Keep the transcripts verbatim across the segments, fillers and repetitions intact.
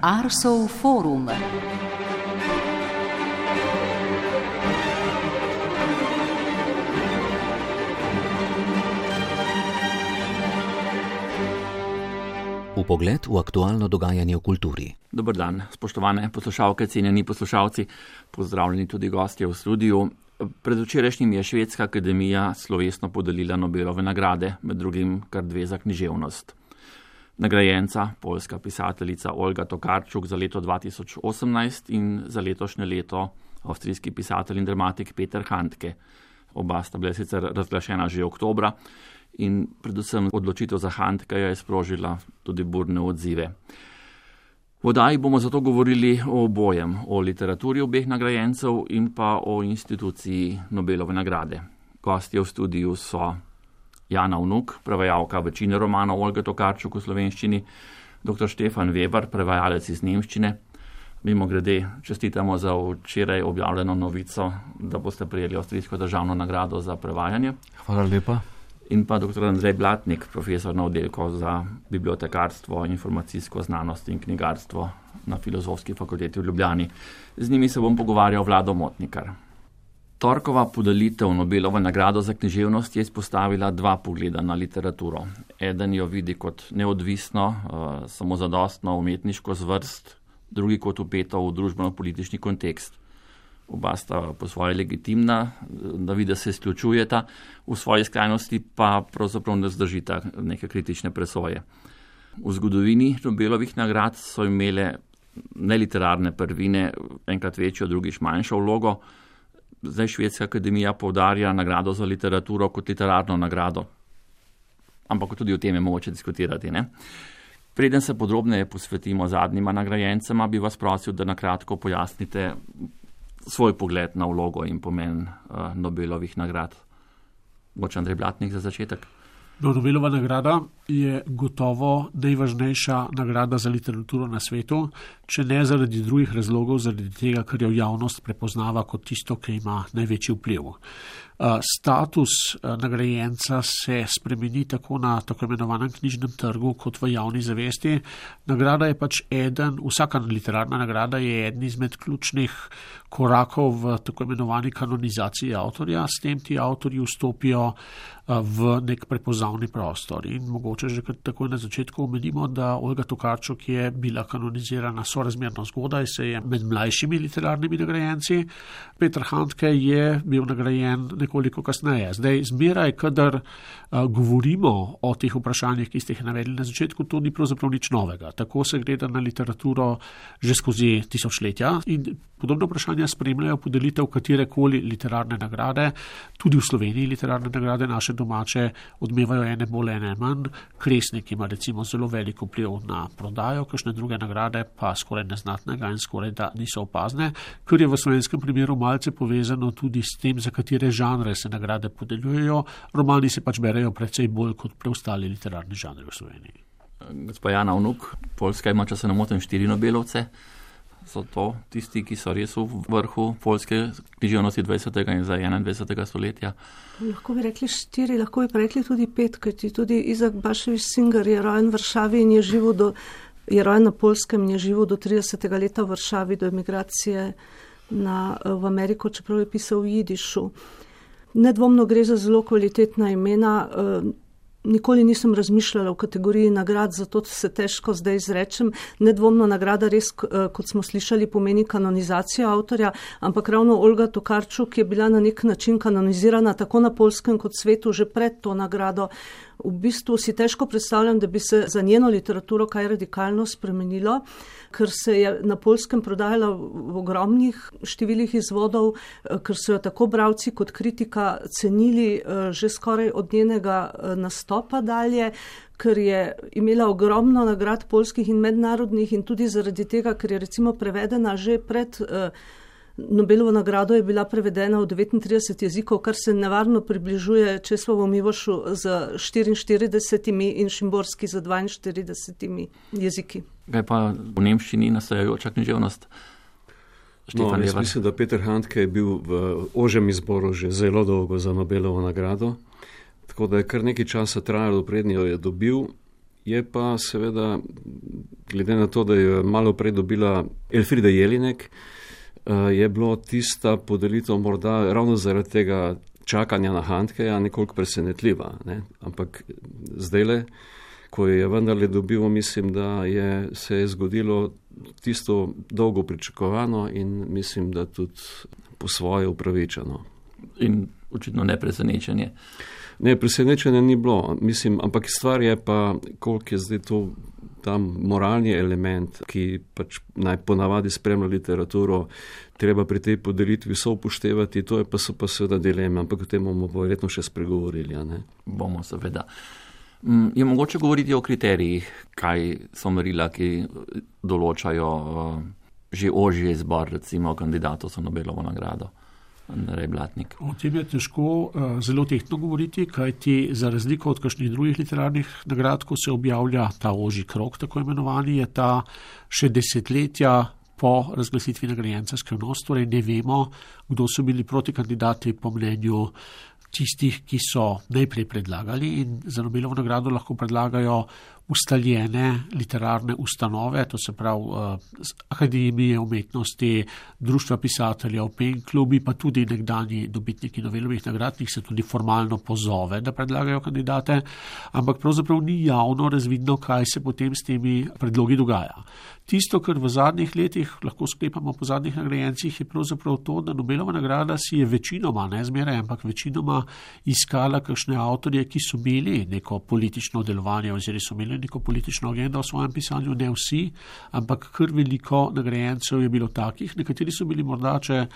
Arsov forum. Vpogled v aktualno dogajanje v kulturi. Dober dan, spoštovane poslušalke, cenjeni poslušalci, pozdravljeni tudi gostje v studiu. Predvčerajšnjim je Švedska akademija slovesno podelila Nobelove nagrade, med drugim kar dve za književnost. Nagrajenca, poljska pisateljica Olga Tokarczuk za leto dva tisoč osemnajst in za letošnje leto avstrijski pisatelj in dramatik Peter Handke. Oba sta bila sicer razglašena že oktobra in predvsem odločitev za Handkeja je sprožila tudi burne odzive. V oddaji bomo zato govorili o obojem, o literaturi obeh nagrajencev in pa o instituciji Nobelove nagrade. Gostje v studiu so Jana Vnuk, prevajalka večine romanov Olge Tokarczuk v slovenščini, doktor Štefan Weber, prevajalec iz nemščine. Mimogrede, čestitamo za včeraj objavljeno novico, da boste prejeli avstrijsko državno nagrado za prevajanje. Hvala lepa. In pa doktor Andrej Blatnik, profesor na oddelku za bibliotekarstvo, informacijsko znanost in knjigarstvo na Filozofski fakulteti v Ljubljani. Z njimi se bom pogovarjal Vlado Motnikar. Torkova podelitev Nobelove nagrado za književnost je izpostavila dva pogleda na literaturo. Eden jo vidi kot neodvisno, uh, samozadostno umetniško zvrst, drugi kot vpeto v družbeno-politični kontekst. Oba sta po svoje legitimna, da vidi, da se izključujeta, v svoji skrajnosti pa pravzaprav ne zdržita neke kritične presoje. V zgodovini Nobelovih nagrad so imele neliterarne prvine enkrat večjo, drugič manjšo vlogo. Zdaj Švedska akademija poudarja nagrado za literaturo kot literarno nagrado. Ampak tudi o tem je mogoče diskutirati, ne? Preden se podrobneje posvetimo zadnjima nagrajencema, bi vas prosil, da nakratko pojasnite svoj pogled na vlogo in pomen uh, Nobelovih nagrad. Mogoče Andrej Blatnik za začetek. No, Nobelova nagrada je gotovo najvažnejša nagrada za literaturo na svetu, če ne zaradi drugih razlogov, zaradi tega, ker jo javnost prepoznava kot tisto, ki ima največji vpliv. Status nagrajenca se spremeni tako na tako imenovanem knjižnem trgu kot v javni zavesti. Nagrada je pač eden, vsaka literarna nagrada je eden izmed ključnih korakov v tako imenovani kanonizaciji avtorja. S tem ti avtorji vstopijo v nek prepoznavni prostor. In mogoče že takoj na začetku omenimo, da Olga Tokarczuk je bila kanonizirana sorazmerno zgodaj, se je med mlajšimi literarnimi nagrajenci. Peter Handke je bil nagrajen nekoliko kasneje. Zdaj, zmeraj, kadar uh, govorimo o teh vprašanjih, ki ste jih navedli na začetku, to ni pravzaprav nič novega. Tako se gleda na literaturo že skozi tisočletja in podobno vprašanja spremljajo podelitev katerekoli literarne nagrade. Tudi v Sloveniji literarne nagrade naše domače odmevajo ene bolj, ene manj. Kresnik ima recimo zelo veliko vpliv na prodajo, kakšne druge nagrade pa skoraj neznatnega in skoraj da niso opazne, ker je v slovenskem primeru malce povezano tudi s tem, za katere žanre se nagrade podeljujejo. Romani se pač berejo precej bolj kot preostali literarni žanri v Sloveniji. Gospa Jana Vnuk, Poljska ima, če se ne motim, štiri Nobelovce. So to tisti, ki so res v vrhu poljske književnosti dvajsetega in za enaindvajsetega stoletja? Lahko bi rekli štiri, lahko bi pa rekli tudi pet, kajti tudi Izak Baševič Singer je rojen v Varšavi in je živel do, je rojen na Poljskem in je živel do tridesetega leta v Varšavi, do emigracije na, v Ameriko, čeprav je pisal v jidišu. Nedvomno gre za zelo kvalitetna imena. Nikoli nisem razmišljala v kategoriji nagrad, zato se težko zdaj izrečem. Nedvomno nagrada res, kot smo slišali, pomeni kanonizacijo avtorja, ampak ravno Olga Tokarczuk je bila na nek način kanonizirana tako na Poljskem kot svetu že pred to nagrado. V bistvu si težko predstavljam, da bi se za njeno literaturo kaj radikalno spremenilo, ker se je na Poljskem prodajala v ogromnih številih izvodov, ker so jo tako bralci kot kritika cenili že skoraj od njenega nastopa dalje, ker je imela ogromno nagrad poljskih in mednarodnih in tudi zaradi tega, ker je recimo prevedena že pred Nobelovo nagrado je bila prevedena v devetintrideset jezikov, kar se nevarno približuje Česlavu Milošu z štiriinštiridesetimi in Šimborski z dvainštiridesetimi jeziki. Kaj pa v nemščini nastajajoča književnost? No, jaz mislim, da Peter Handke je bil v ožjem izboru že zelo dolgo za Nobelovo nagrado, tako da je kar nekaj časa trajalo, prednjo je dobil. Je pa seveda glede na to, da je malo prej dobila Elfrida Jelinek, je bilo tista podelitev morda ravno zaradi tega čakanja na Handkeja nekoliko presenetljiva. Ne? Ampak zdajle, ko je vendarle dobil, mislim, da je, se je zgodilo tisto dolgo pričakovano in mislim, da tudi po svoje upravičeno. In očitno ne presenečenje. Ne, presenečenja ni bilo, mislim, ampak stvar je pa, koliko je zdaj to tam moralni element, ki pač naj ponavadi spremlja literaturo, treba pri tej podelitvi so upoštevati, to je pa so pa seveda dileme, ampak o tem bomo verjetno še spregovorili. A ne? Bomo seveda. Je mogoče govoriti o kriterijih, kaj so merila, ki določajo že ožji izbor, recimo kandidatov za Nobelovo nagrado? Andrej Blatnik. O tem je težko uh, zelo tehtno govoriti, kajti za razliko od kakšnih drugih literarnih nagrad, ko se objavlja ta ožji krog, tako imenovani, je ta še desetletja po razglasitvi nagrajenca skrivnost, torej ne vemo, kdo so bili protikandidati po mnenju tistih, ki so najprej predlagali in za Nobelovo nagrado lahko predlagajo ustaljene literarne ustanove, to se pravi uh, Akademije umetnosti, Društva pisateljev, Pen klubi, pa tudi nekdanji dobitniki Nobelovih nagrad, njih se tudi formalno pozove, da predlagajo kandidate, ampak pravzaprav ni javno razvidno, kaj se potem s temi predlogi dogaja. Tisto, kar v zadnjih letih lahko sklepamo po zadnjih nagrajencih, je pravzaprav to, da Nobelova nagrada si je večinoma, ne zmeraj, ampak večinoma iskala kakšne avtorje, ki so imeli neko politično delovanje oziroma so imeli neko politično agendo v svojem pisanju, ne vsi, ampak kar veliko nagrajencev je bilo takih, nekateri so bili morda, če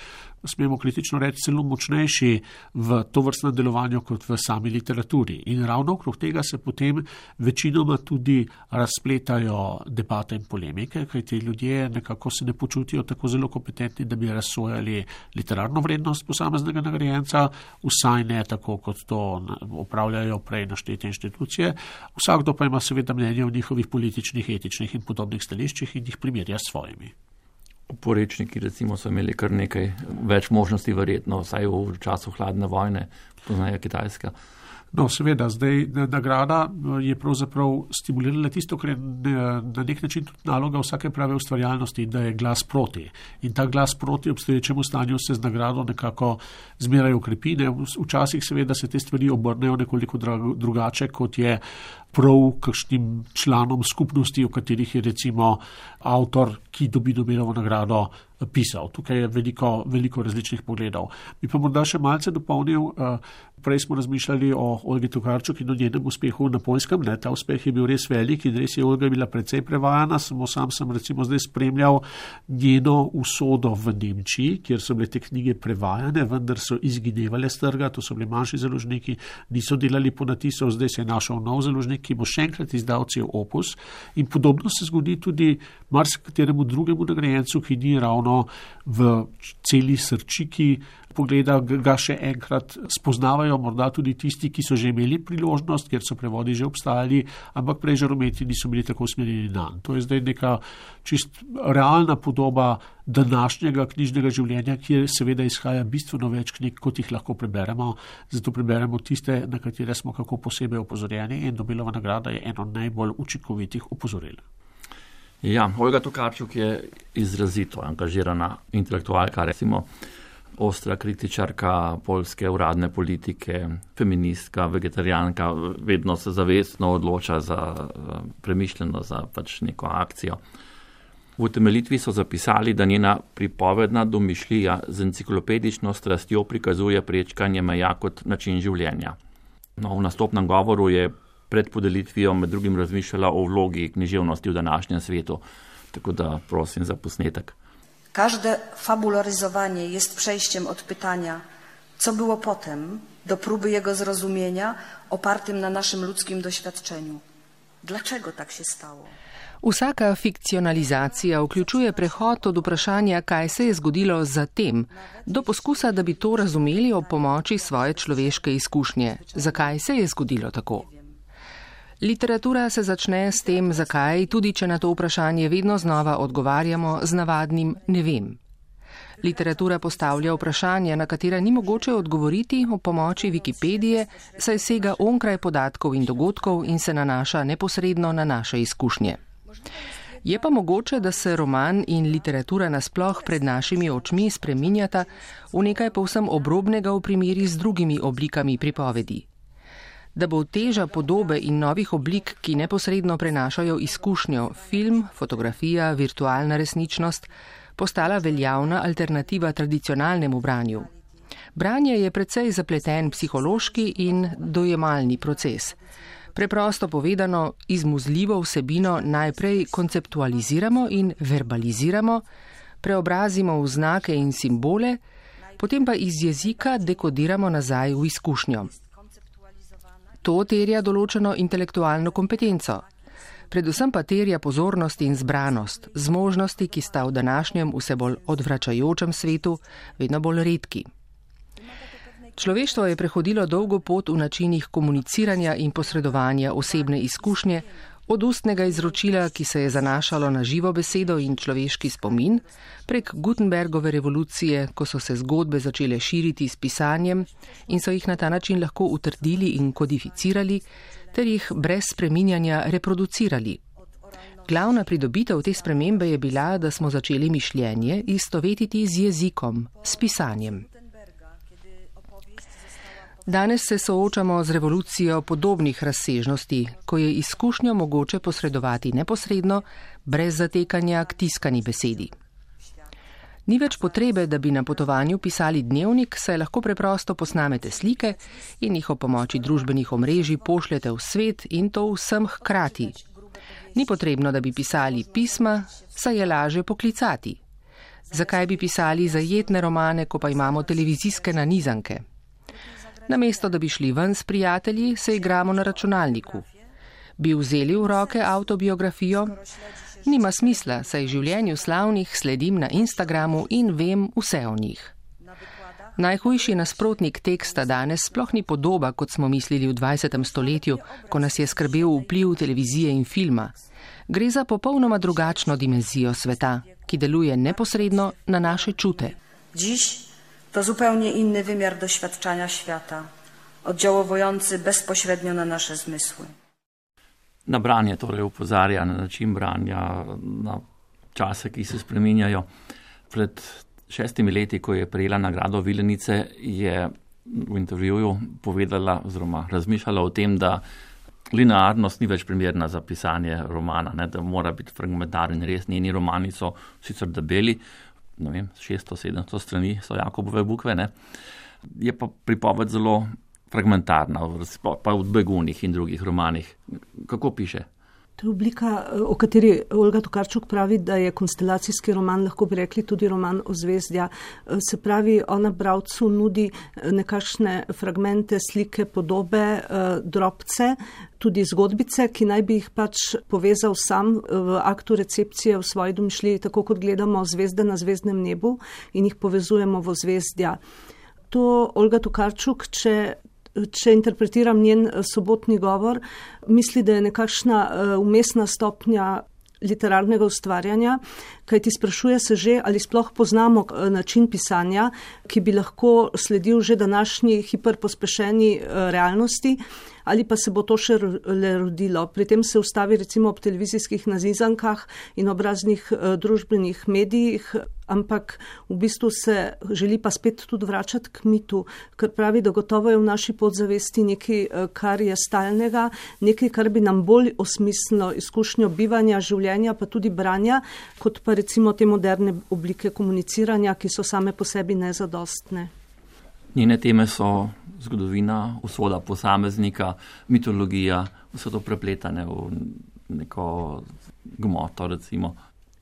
smemo kritično reči, celo močnejši v tovrstnem delovanju kot v sami literaturi. In ravno okrog tega se potem večinoma tudi razpletajo debate in polemike, kajti ljudje nekako se ne počutijo tako zelo kompetentni, da bi razsojali literarno vrednost posameznega nagrajenca, vsaj ne tako, kot to opravljajo prej naštete inštitucije. Vsakdo pa ima seveda mnenje o njihovih političnih, etičnih in podobnih stališčih in jih primerja s svojimi. Oporečniki recimo so imeli kar nekaj več možnosti verjetno, vsaj v času hladne vojne, poznajo Kitajska. No, seveda, zdaj nagrada je pravzaprav stimulirala tisto, kar je na nek način tudi naloga vsake prave ustvarjalnosti, da je glas proti. In ta glas proti obstoječemu stanju se z nagrado nekako zmeraj ukrepi. Včasih seveda se te stvari obrnejo nekoliko drugače, kot je prav kakšnim članom skupnosti, o katerih je recimo avtor, ki dobi Nobelovo nagrado, pisal. Tukaj je veliko, veliko različnih pogledov. Bi pa morda še malce dopolnil, prej smo razmišljali o Olgi Tokarčuk in o njenem uspehu na Poljskem. Ne, ta uspeh je bil res velik in res je Olga bila precej prevajana. Samo sam sem recimo zdaj spremljal njeno usodo v Nemčiji, kjer so bile te knjige prevajane, vendar so izginevale s trga, to so bili manjši založniki, niso delali ponatisov, zdaj se je našel nov založnik, ki bo še enkrat izdal cel opus. In podobno se zgodi tudi marsikateremu drugemu nagrajencu, ki ni ravno v celi srčiki pogleda, ga še enkrat spoznavajo morda tudi tisti, ki so že imeli priložnost, ker so prevodi že obstajali, ampak prej žarometi niso bili tako usmerjeni na. To je zdaj neka čist realna podoba današnjega knjižnega življenja, kjer seveda izhaja bistveno več knjig, kot jih lahko preberemo, zato preberemo tiste, na katere smo kako posebej opozorjeni in Nobelova nagrada je eno najbolj učinkovitih opozoril. Ja, Olga Tokarčuk je izrazito angažirana intelektualka, recimo ostra kritičarka poljske uradne politike, feministka, vegetarijanka, vedno se zavestno odloča za premišljeno, za pač neko akcijo. V utemeljitvi so zapisali, da njena pripovedna domišljija z enciklopedično strastjo prikazuje prečkanje meja kot način življenja. No, v nastopnem govoru je pred podelitvijo med drugim razmišljala o vlogi književnosti v današnjem svetu, tako da prosim za posnetek. Każde fabularyzowanie jest przejściem od pytania, co było potem, do próby jego zrozumienia opartym na naszym ludzkim doświadczeniu. Dlaczego tak się stało? Vsaka fikcionalizacija vključuje prehod od vprašanja, kaj se je zgodilo zatem, do poskusa, da bi to razumeli ob pomoči svoje človeške izkušnje. Zakaj se je zgodilo tako? Literatura se začne s tem, zakaj, tudi če na to vprašanje vedno znova odgovarjamo z navadnim ne vem. Literatura postavlja vprašanja, na katera ni mogoče odgovoriti ob pomoči Wikipedije, saj sega onkraj podatkov in dogodkov in se nanaša neposredno na naše izkušnje. Je pa mogoče, da se roman in literatura nasploh pred našimi očmi spreminjata v nekaj povsem obrobnega v primeri z drugimi oblikami pripovedi. Da bo teža podobe in novih oblik, ki neposredno prenašajo izkušnjo, film, fotografija, virtualna resničnost, postala veljavna alternativa tradicionalnemu branju. Branje je precej zapleten psihološki in dojemalni proces. Preprosto povedano, izmuzljivo vsebino najprej konceptualiziramo in verbaliziramo, preobrazimo v znake in simbole, potem pa iz jezika dekodiramo nazaj v izkušnjo. To terja določeno intelektualno kompetenco. Predvsem pa terja pozornost in zbranost, zmožnosti, ki sta v današnjem vse bolj odvračajočem svetu vedno bolj redki. Človeštvo je prehodilo dolgo pot v načinih komuniciranja in posredovanja osebne izkušnje, od ustnega izročila, ki se je zanašalo na živo besedo in človeški spomin, prek Gutenbergove revolucije, ko so se zgodbe začele širiti s pisanjem in so jih na ta način lahko utrdili in kodificirali, ter jih brez spreminjanja reproducirali. Glavna pridobitev te spremembe je bila, da smo začeli mišljenje istovetiti z jezikom, s pisanjem. Danes se soočamo z revolucijo podobnih razsežnosti, ko je izkušnjo mogoče posredovati neposredno, brez zatekanja k tiskani besedi. Ni več potrebe, da bi na potovanju pisali dnevnik, saj lahko preprosto posnamete slike in jih ob pomoči družbenih omrežij pošljete v svet in to vsem hkrati. Ni potrebno, da bi pisali pisma, saj je laže poklicati. Zakaj bi pisali zajetne romane, ko pa imamo televizijske nanizanke? Namesto, da bi šli ven s prijatelji, se igramo na računalniku. Bi vzeli v roke avtobiografijo? Nima smisla, saj življenju slavnih sledim na Instagramu in vem vse o njih. Najhujši nasprotnik teksta danes sploh ni podoba, kot smo mislili v dvajsetem stoletju, ko nas je skrbel vpliv televizije in filma. Gre za popolnoma drugačno dimenzijo sveta, ki deluje neposredno na naše čute. Dziś to zupełnie inny wymiar doświadczania świata, oddziaływujący bezpośrednio na nasze zmysły. Na branje torej upozarja, na način branja, na čase, ki se spreminjajo. Pred šestimi leti, ko je prejela nagrado Vilenice, je v intervjuju povedala oziroma razmišljala o tem, da linearnost ni več primerna za pisanje romana, ne, da mora biti fragmentaren. Res, njeni romani so sicer debeli, ne vem, šeststo sedemsto strani so Jakobove bukve, ne. Je pa pripoved zelo fragmentarna, pa v Begunih in drugih romanih. Kako piše? To je oblika, o kateri Olga Tokarczuk pravi, da je konstelacijski roman, lahko bi rekli tudi roman Ozvezdja. Se pravi, ona bralcu nudi nekakšne fragmente, slike, podobe, drobce, tudi zgodbice, ki naj bi jih pač povezal sam v aktu recepcije v svoji domišljiji, tako kot gledamo zvezde na zvezdnem nebu in jih povezujemo v Ozvezdja. To Olga Tokarczuk, če Če interpretiram njen sobotni govor, misli, da je nekakšna umestna stopnja literarnega ustvarjanja, kajti sprašuje se že, ali sploh poznamo način pisanja, ki bi lahko sledil že današnji hiperpospešeni realnosti, ali pa se bo to še le rodilo. Pri tem se ustavi recimo ob televizijskih nazizankah in ob raznih družbenih medijih, ampak v bistvu se želi pa spet tudi vračati k mitu, ker pravi, da gotovo je v naši podzavesti nekaj, kar je stalnega, nekaj, kar bi nam bolj osmislilo izkušnjo bivanja, življenja, pa tudi branja, kot pa recimo te moderne oblike komuniciranja, ki so same po sebi nezadostne. Njene teme so zgodovina, usoda posameznika, mitologija, vse to prepletane v neko gmoto, recimo.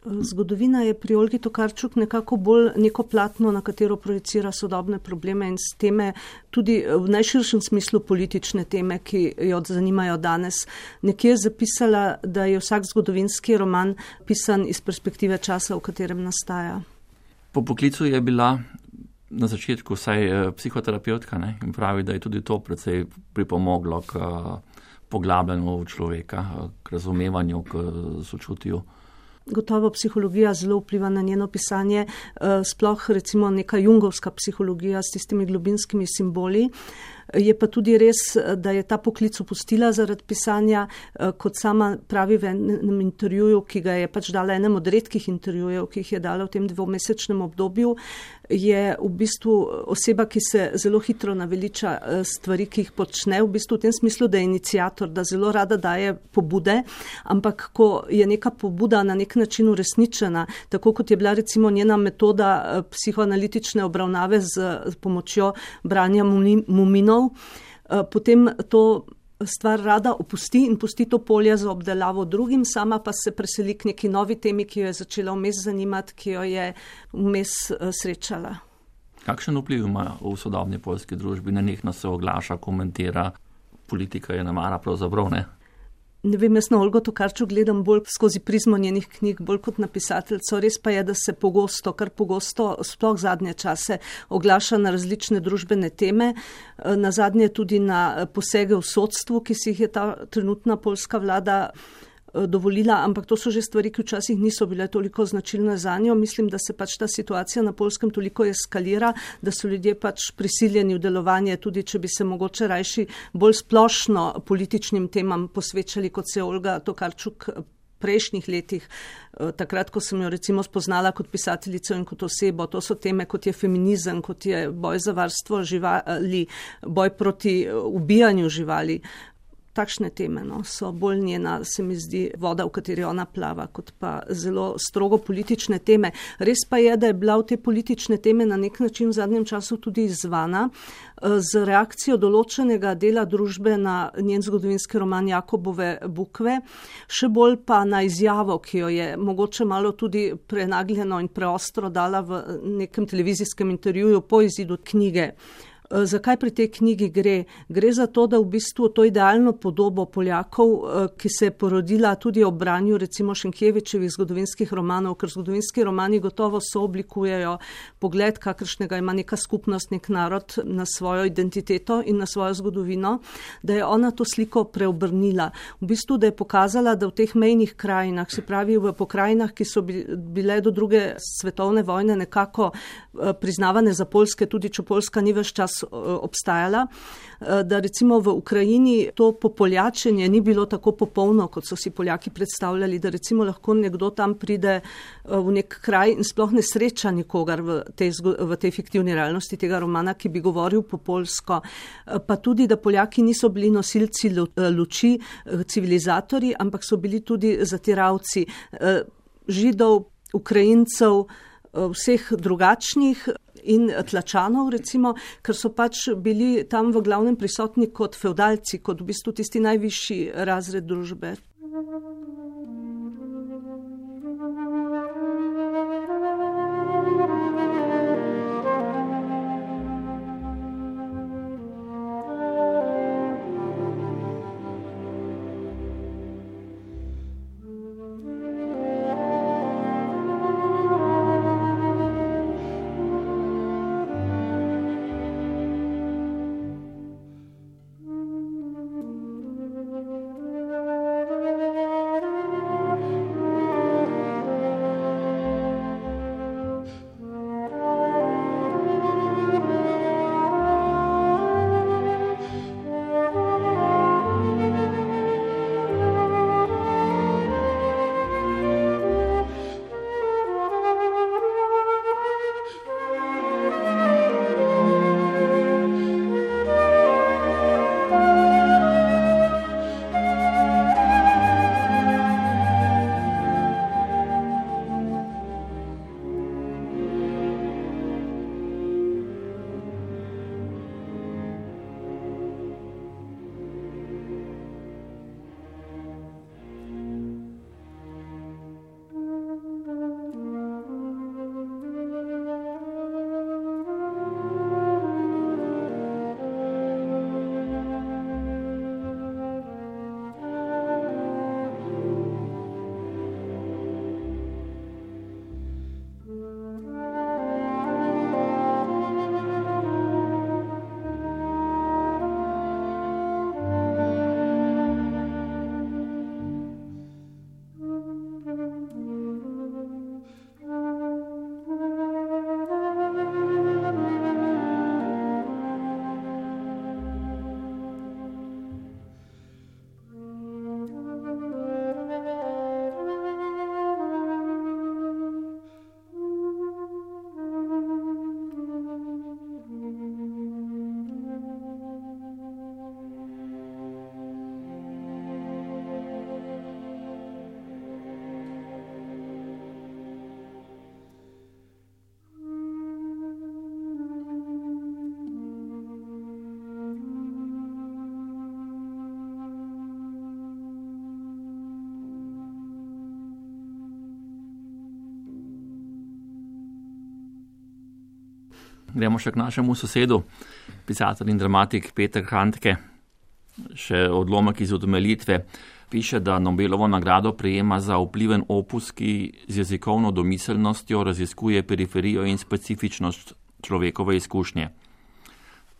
Zgodovina je pri Olgi Tokarczuk nekako bolj neko platno, na katero projicira sodobne probleme in teme, tudi v najširšem smislu politične teme, ki jo zanimajo danes. Nekje je zapisala, da je vsak zgodovinski roman pisan iz perspektive časa, v katerem nastaja. Po poklicu je bila na začetku vsaj psihoterapeutka, ne? In pravi, da je tudi to precej pripomoglo k poglabljanju človeka, k razumevanju, k sočutju. Gotovo psihologija zelo vpliva na njeno pisanje, sploh recimo neka jungovska psihologija s tistimi globinskimi simboli. Je pa tudi res, da je ta poklic opustila zaradi pisanja, kot sama pravi v enem intervjuju, ki ga je pač dala enem od redkih intervjujev, ki jih je dala v tem dvomesečnem obdobju, je v bistvu oseba, ki se zelo hitro naveliča stvari, ki jih počne, v bistvu v tem smislu, da je iniciator, da zelo rada daje pobude, ampak ko je neka pobuda na nek način uresničena, tako kot je bila recimo njena metoda psihoanalitične obravnave z pomočjo branja muminov, potem to stvar rada opusti in pusti to polje za obdelavo drugim, sama pa se preseli k neki novi temi, ki jo je začela vmes zanimati, ki jo je vmes srečala. Kakšen vpliv ima v sodobni poljski družbi? Nenehno se oglaša, komentira, politika je namara pravzaprav, ne? Ne vem, jaz na Olgo Tokarčuk gledam bolj skozi prizmo njenih knjig, bolj kot napisateljco. Res pa je, da se pogosto, kar pogosto, sploh zadnje čase, oglaša na različne družbene teme, na zadnje tudi na posege v sodstvu, ki si jih je ta trenutna poljska vlada dovolila, ampak to so že stvari, ki včasih niso bile toliko značilne za njo. Mislim, da se pač ta situacija na Poljskem toliko eskalira, da so ljudje pač prisiljeni v delovanje, tudi če bi se mogoče rajši bolj splošno političnim temam posvečali, kot se je Olga Tokarčuk prejšnjih letih, takrat, ko sem jo recimo spoznala kot pisateljico in kot osebo. To so teme, kot je feminizem, kot je boj za varstvo živali, boj proti ubijanju živali. Takšne teme no, so bolj njena, se mi zdi, voda, v kateri ona plava, kot pa zelo strogo politične teme. Res pa je, da je bila v te politične teme na nek način v zadnjem času tudi izzvana z reakcijo določenega dela družbe na njen zgodovinski roman Jakobove bukve, še bolj pa na izjavo, ki jo je mogoče malo tudi prenagljeno in preostro dala v nekem televizijskem intervjuju po izidu knjige. Zakaj pri tej knjigi gre? Gre za to, da v bistvu to idealno podobo Poljakov, ki se je porodila tudi ob branju recimo Šenkjevičevih zgodovinskih romanov, ker zgodovinski romani gotovo sooblikujejo pogled, kakršnega ima neka skupnost, nek narod na svojo identiteto in na svojo zgodovino, da je ona to sliko preobrnila. V bistvu, da je pokazala, da v teh mejnih krajinah, se pravi v pokrajinah, ki so bile do druge svetovne vojne nekako priznavane za poljske, tudi če Poljska ni ves čas obstajala, da recimo v Ukrajini to popoljačenje ni bilo tako popolno, kot so si Poljaki predstavljali, da recimo lahko nekdo tam pride v nek kraj in sploh ne sreča nikogar v tej, v tej fiktivni realnosti tega romana, ki bi govoril po poljsko. Pa tudi, da Poljaki niso bili nosilci luči, civilizatorji, ampak so bili tudi zatiravci Židov, Ukrajincev, vseh drugačnih in tlačanov, recimo, ker so pač bili tam v glavnem prisotni kot fevdalci, kot v bistvu tisti najvišji razred družbe. Gremo še k našemu sosedu, pisatelj in dramatik Peter Handke. Še odlomek iz utemeljitve piše, da Nobelovo nagrado prejema za vpliven opus, ki z jezikovno domiselnostjo raziskuje periferijo in specifičnost človekove izkušnje.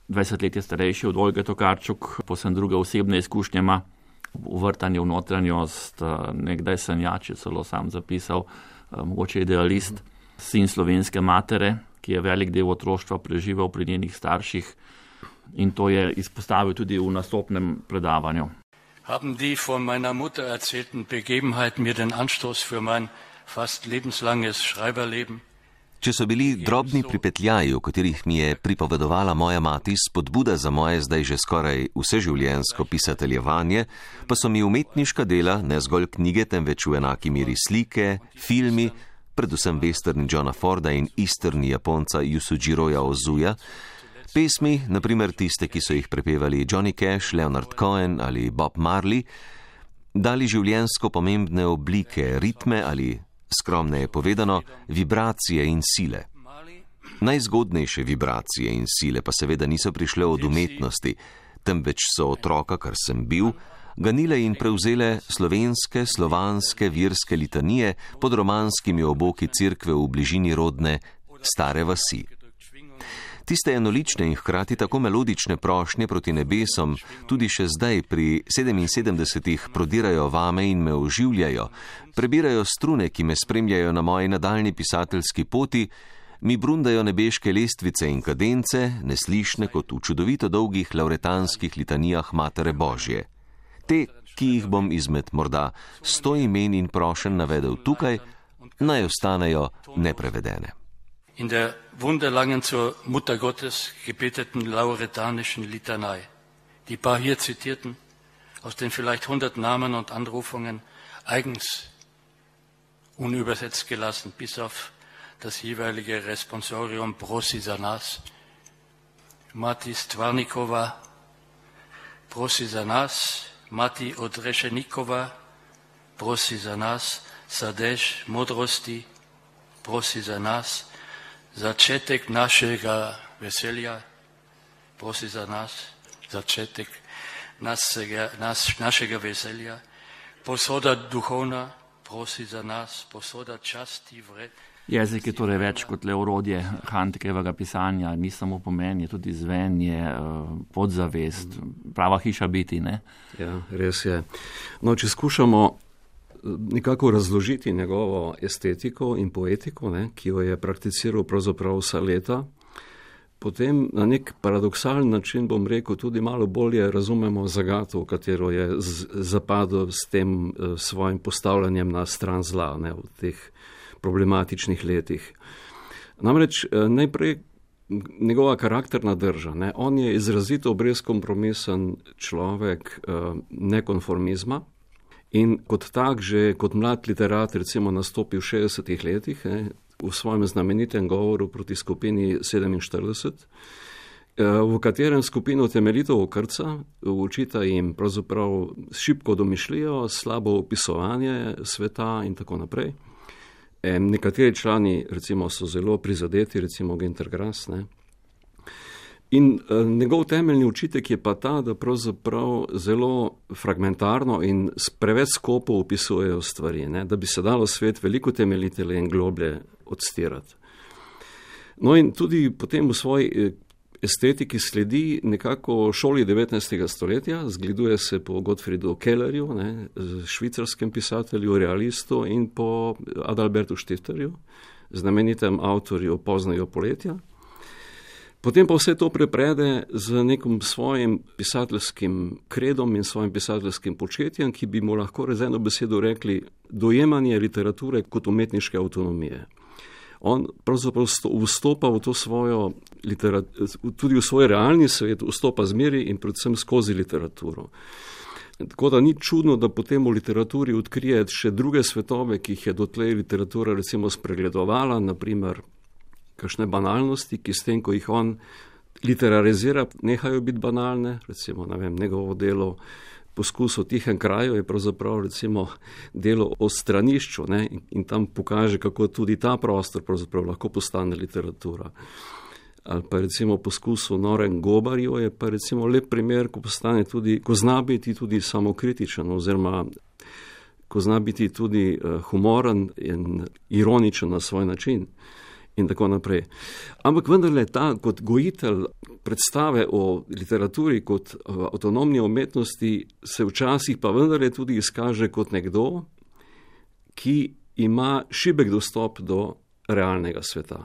dvajset let je starejši od Olge Tokarčuk, posebno druge osebne izkušnje ima, uvrtanje v notranjost, nekdaj sanjač, je celo sam zapisal, mogoče idealist, sin slovenske matere, ki je velik del otroštva preživel pri njenih starših, in to je izpostavil tudi v nastopnem predavanju. Haben die von meiner Mutter erzählten Begebenheiten mir den Anstoß für mein fast lebenslanges Schreiberleben? Če so bili drobni pripetljaji, v katerih mi je pripovedovala moja mati, spodbuda za moje zdaj že skoraj vseživljenjsko pisateljevanje, pa so mi umetniška dela, ne zgolj knjige, temveč v enaki meri slike, filmi, predvsem westerni Johna Forda in easterni Japonca Yusujiroja Ozuja, pesmi, naprimer tiste, ki so jih prepevali Johnny Cash, Leonard Cohen ali Bob Marley, dali življenjsko pomembne oblike, ritme ali, skromneje povedano, vibracije in sile. Najzgodnejše vibracije in sile pa seveda niso prišle od umetnosti, temveč so otroka, kar sem bil, ganile in prevzele slovenske, slovanske, virske litanije pod romanskimi oboki cerkve v bližini rodne Stare vasi. Tiste enolične in hkrati tako melodične prošnje proti nebesom tudi še zdaj pri sedeminsedemdesetih prodirajo vame in me oživljajo, prebirajo strune, ki me spremljajo na moji nadaljni pisateljski poti, mi brundajo nebeške lestvice in kadence, neslišne kot v čudovito dolgih lauretanskih litanijah Matere Božje. Te, ki jih bom izmed morda sto imen in prošenj navedel tukaj, naj ostanejo neprevedene. In der wunderlangen zur Mutter Gottes gebeteten lauretanischen Litanei, die paar hier zitierten, aus den vielleicht hundert Namen und Anrufungen, eigens unübersetzt gelassen, bis auf das jeweilige Responsorium Prosi za nas, Mati Stvarnikova, Prosi za nas, Mati Odrešenikova, Prosi za nas, Sadež modrosti, Prosi za nas, začetek našega veselja, prosi za nas, začetek našega, naš, našega veselja, posoda duhovna, prosi za nas, posoda časti vred. Jezik je torej več kot le orodje Handkevega pisanja, ni samo pomen, je tudi zven, je podzavest, prava hiša biti, ne? Ja, res je. No, če skušamo nekako razložiti njegovo estetiko in poetiko, ne, ki jo je prakticiral pravzaprav vsa leta, potem na nek paradoksalen način, bom rekel, tudi malo bolje razumemo zagato, v katero je zapadel s tem uh, svojim postavljanjem na stran zla, ne, v teh problematičnih letih. Namreč uh, najprej njegova karakterna drža, ne, on je izrazito brezkompromisen človek uh, nekonformizma, in kot tak, že kot mlad literat, recimo nastopi v šestdesetih letih, ne, v svojem znamenitem govoru proti skupini sedeminštirideset, v katerem skupino temeljito okrca, učita jim pravzaprav šibko domišljijo, slabo opisovanje sveta in tako naprej. Nekateri člani, recimo, so zelo prizadeti, recimo Günter Grass, ne. In uh, njegov temeljni učitek je pa ta, da pravzaprav zelo fragmentarno in preveč skopo opisujejo stvari, ne, da bi se dalo svet veliko temeljitelje in globlje odstirati. No in tudi potem v svoji estetiki sledi nekako šoli devetnajstega stoletja, zgleduje se po Gottfriedu Kellerju, ne, švicarskem pisatelju, realistu, in po Adalbertu Stifterju, znamenitem avtorju Poznega poletja. Potem pa vse to preprede z nekim svojim pisateljskim kredom in svojim pisateljskim početjem, ki bi mu lahko z eno besedo rekli dojemanje literature kot umetniške avtonomije. On pravzaprav vstopa v to svojo literaturo, tudi v svoj realni svet, vstopa zmeri in predvsem skozi literaturo. Tako da ni čudno, da potem v literaturi odkrije še druge svetove, ki jih je dotlej literatura recimo spregledovala, naprimer kakšne banalnosti, ki s tem, ko jih on literarizira, nehajo biti banalne, recimo, ne vem, njegovo delo Poskus o tihem kraju je pravzaprav recimo delo o stranišču, ne, in, in tam pokaže, kako tudi ta prostor pravzaprav lahko postane literatura. ali pa recimo poskus v Norem Gobarju je pa recimo lep primer, ko postane tudi, ko zna biti tudi samokritičen oziroma ko zna biti tudi humoren in ironičen na svoj način in tako naprej. Ampak vendarle ta kot gojitelj predstave o literaturi kot avtonomni umetnosti se včasih pa vendarle tudi izkaže kot nekdo, ki ima šibek dostop do realnega sveta.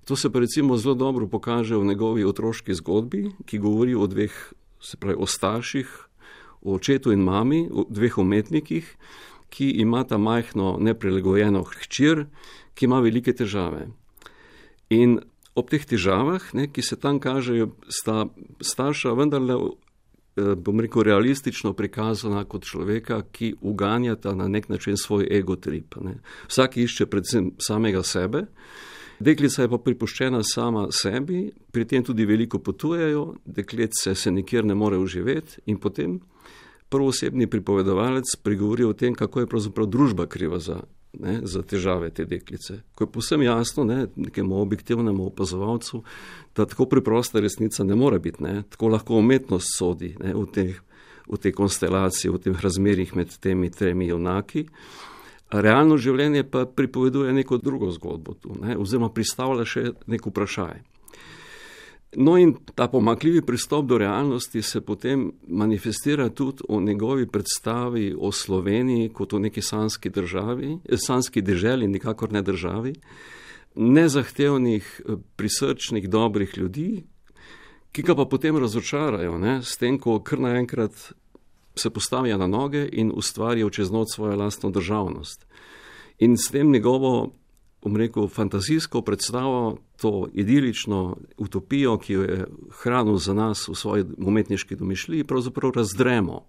To se pa recimo zelo dobro pokaže v njegovi otroški zgodbi, ki govori o dveh, se pravi o starših, o očetu in mami, o dveh umetnikih, ki imata majhno neprilagojeno hčer, ki ima velike težave. In ob teh težavah, ne, ki se tam kažejo, sta starša vendarle, bom rekel, realistično prikazana kot človeka, ki uganjata na nek način svoj egotrip. Ne. Vsak išče predvsem samega sebe, deklica je pa pripuščena sama sebi, pri tem tudi veliko potujejo, dekletce se nikjer ne more uživeti in potem prvoosebni pripovedovalec pregovori o tem, kako je pravzaprav družba kriva za, ne, za težave te deklice. Ko je povsem jasno, ne, nekemu objektivnemu opazovalcu, da tako preprosta resnica ne more biti, ne, tako lahko umetnost sodi, ne, v teh, v tej konstelaciji, v teh razmerjih med temi tremi junaki. Realno življenje pa pripoveduje neko drugo zgodbo tu, ne, oziroma pristavlja še nek vprašaj. No in ta pomanjkljivi pristop do realnosti se potem manifestira tudi v njegovi predstavi o Sloveniji kot o neki sanski državi, sanski deželi, nikakor ne državi, nezahtevnih, prisrčnih, dobrih ljudi, ki ga pa potem razočarajo, ne, s tem, ko kar naenkrat se postavijo na noge in ustvarijo čez noč svojo lastno državnost. In s tem njegovo, bom rekel, fantazijsko predstavo, to idilično utopijo, ki jo je hranil za nas v svoji umetniški domišljiji, pravzaprav razdremo.